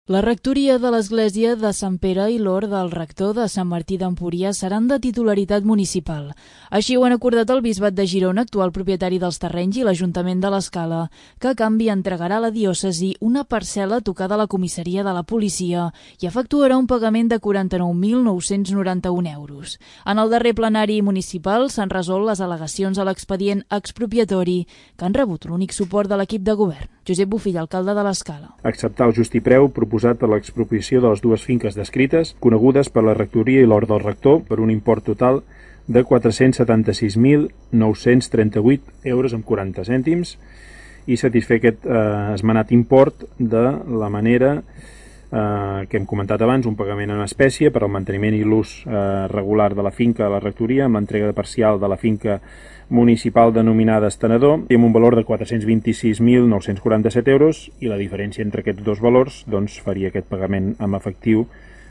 La rectoria de l'Església de Sant Pere i l'Hort del rector de Sant Martí d'Empúries seran de titularitat municipal. Així ho han acordat el Bisbat de Girona, actual propietari dels terrenys, i l'Ajuntament de l'Escala, que a canvi entregarà a la diòcesi una parcel·la tocada a la comissaria de la policia i efectuarà un pagament de 49.991 euros. En el darrer plenari municipal s'han resolt les al·legacions a l'expedient expropiatori, que han rebut l'únic suport de l'equip de govern. Josep Bofill, alcalde de l'Escala. Acceptar el justipreu proposat per l'expropiació de les dues finques descrites, conegudes per la rectoria i l'hort del rector, per un import total de 476.938 euros amb 40 cèntims i satisfer aquest esmenat import de la manera que hem comentat abans, un pagament en espècie per al manteniment i l'ús regular de la finca a la rectoria, amb l'entrega parcial de la finca municipal denominada Estenedor, i amb un valor de 426.947 euros, i la diferència entre aquests dos valors faria aquest pagament amb efectiu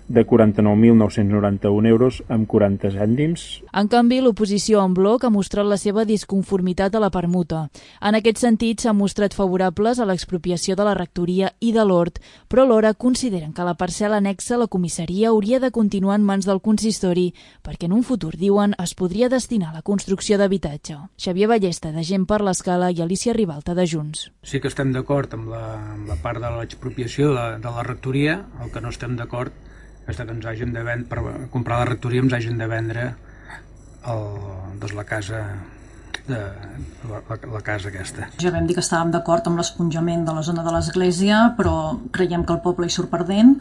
de 49.991 euros amb 40 cèntims. En canvi, l'oposició en bloc ha mostrat la seva disconformitat a la permuta. En aquest sentit, s'han mostrat favorables a l'expropiació de la rectoria i de l'hort, però alhora consideren que la parcel·la anexa a la comissaria hauria de continuar en mans del consistori, perquè en un futur, diuen, es podria destinar a la construcció d'habitatge. Xavier Ballesta, de Gent per l'Escala, i Alicia Ribalta, de Junts. Sí que estem d'acord amb la part de l'expropiació de la rectoria. El que no estem d'acord és que ens hagin de vendre, per comprar la rectoria ens hagin de vendre la casa aquesta. Ja vam dir que estàvem d'acord amb l'esponjament de la zona de l'església, però creiem que el poble hi surt perdent.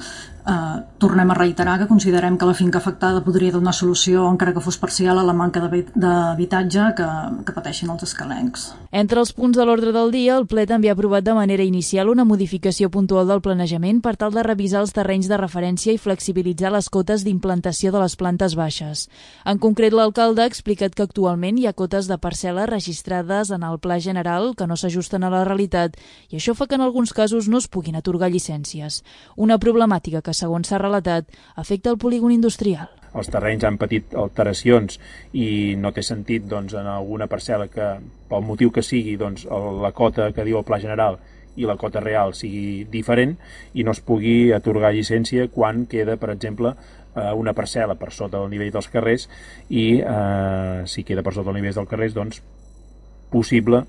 Tornem a reiterar que considerem que la finca afectada podria donar solució, encara que fos parcial, a la manca d'habitatge que pateixen els escalencs. Entre els punts de l'ordre del dia, el ple també ha aprovat de manera inicial una modificació puntual del planejament per tal de revisar els terrenys de referència i flexibilitzar les cotes d'implantació de les plantes baixes. En concret, l'alcalde ha explicat que actualment hi ha cotes de parcel·la registrades en el Pla General que no s'ajusten a la realitat, i això fa que en alguns casos no es puguin atorgar llicències. Una problemàtica que, segons s'ha relatat, afecta el polígon industrial. Els terrenys han patit alteracions i no té sentit en alguna parcel·la que, pel motiu que sigui, la cota que diu el Pla General i la cota real sigui diferent i no es pugui atorgar llicència quan queda, per exemple, una parcel·la per sota del nivell dels carrers i si queda per sota del nivell dels carrers, possible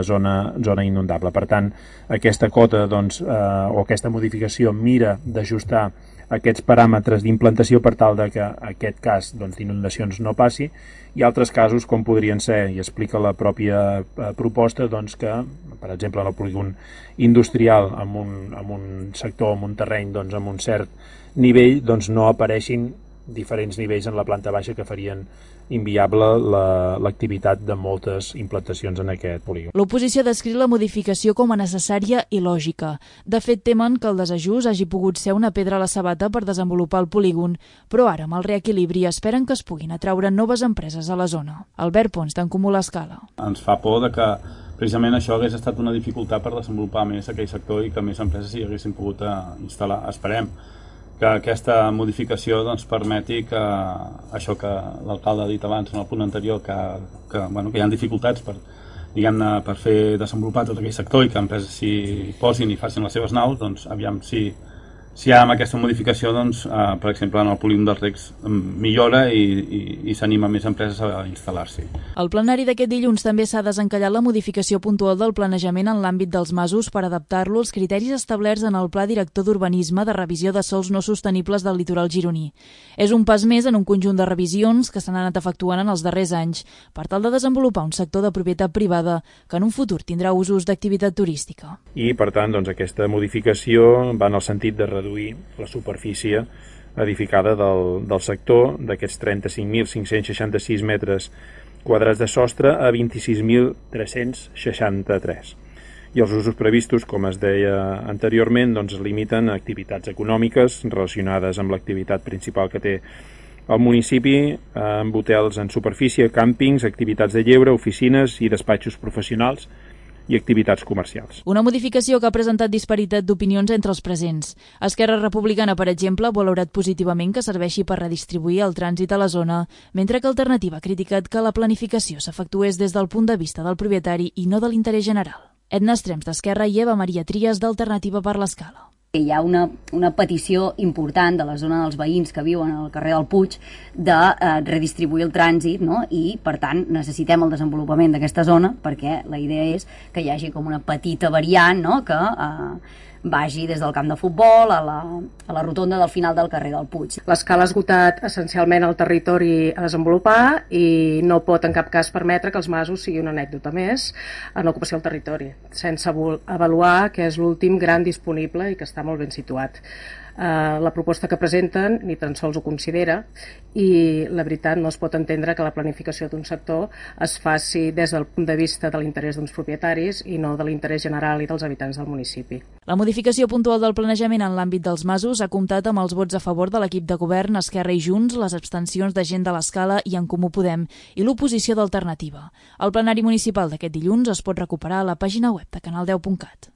zona inundable. Per tant, aquesta cota o aquesta modificació mira d'ajustar aquests paràmetres d'implantació per tal que aquest cas d'inundacions no passi, i altres casos com podrien ser, i explica la pròpia proposta, que, per exemple, en el polígon industrial, en un sector, en un terreny amb un cert nivell, no apareixin diferents nivells en la planta baixa que farien inviable l'activitat de moltes implantacions en aquest polígon. L'oposició ha descrit la modificació com a necessària i lògica. De fet, temen que el desajust hagi pogut ser una pedra a la sabata per desenvolupar el polígon, però ara, amb el reequilibri, esperen que es puguin atraure noves empreses a la zona. Albert Pons, d'en Comú l'Escala. Ens fa por que precisament això hagués estat una dificultat per desenvolupar més aquell sector i que més empreses s'hi haguessin pogut instal·lar. Esperem que aquesta modificació permeti que això que l'alcalde ha dit abans en el punt anterior, que hi ha dificultats per fer desenvolupar tot aquell sector i que empreses s'hi posin i facin les seves naus, aviam si amb aquesta modificació, per exemple, en el polígon dels recs millora i s'anima més empreses a instal·lar-s'hi. Al plenari d'aquest dilluns també s'ha desencallat la modificació puntual del planejament en l'àmbit dels masos per adaptar-lo als criteris establerts en el Pla Director d'Urbanisme de revisió de sòls no sostenibles del litoral gironí. És un pas més en un conjunt de revisions que s'han anat efectuant en els darrers anys per tal de desenvolupar un sector de propietat privada que en un futur tindrà usos d'activitat turística. I, per tant, aquesta modificació va en el sentit de reduir la superfície edificada del sector d'aquests 35.566 metres quadrats de sostre a 26.363. I els usos previstos, com es deia anteriorment, es limiten a activitats econòmiques relacionades amb l'activitat principal que té el municipi, amb hotels en superfície, càmpings, activitats de lleure, oficines i despatxos professionals i activitats comercials. Una modificació que ha presentat disparitat d'opinions entre els presents. Esquerra Republicana, per exemple, ha valorat positivament que serveixi per redistribuir el trànsit a la zona, mentre que Alternativa ha criticat que la planificació s'efectués des del punt de vista del propietari i no de l'interès general. Edna Estrems, d'Esquerra, i Eva Maria Trias, d'Alternativa per l'Escala. Hi ha una petició important de la zona dels veïns que viuen al carrer del Puig de redistribuir el trànsit, no? I, per tant, necessitem el desenvolupament d'aquesta zona perquè la idea és que hi hagi com una petita variant, no? Que vagi des del camp de futbol a la rotonda del final del carrer del Puig. L'escala ha esgotat essencialment el territori a desenvolupar i no pot en cap cas permetre que els masos sigui una anècdota més en l'ocupació del territori, sense avaluar que és l'últim gran disponible i que està molt ben situat. La proposta que presenten ni tan sols ho considera i la veritat no es pot entendre que la planificació d'un sector es faci des del punt de vista de l'interès d'uns propietaris i no de l'interès general i dels habitants del municipi. La modificació puntual del planejament en l'àmbit dels masos ha comptat amb els vots a favor de l'equip de govern, Esquerra i Junts, les abstencions de Gent de l'Escala i En Comú Podem i l'oposició d'Alternativa. El plenari municipal d'aquest dilluns es pot recuperar a la pàgina web de canal10.cat.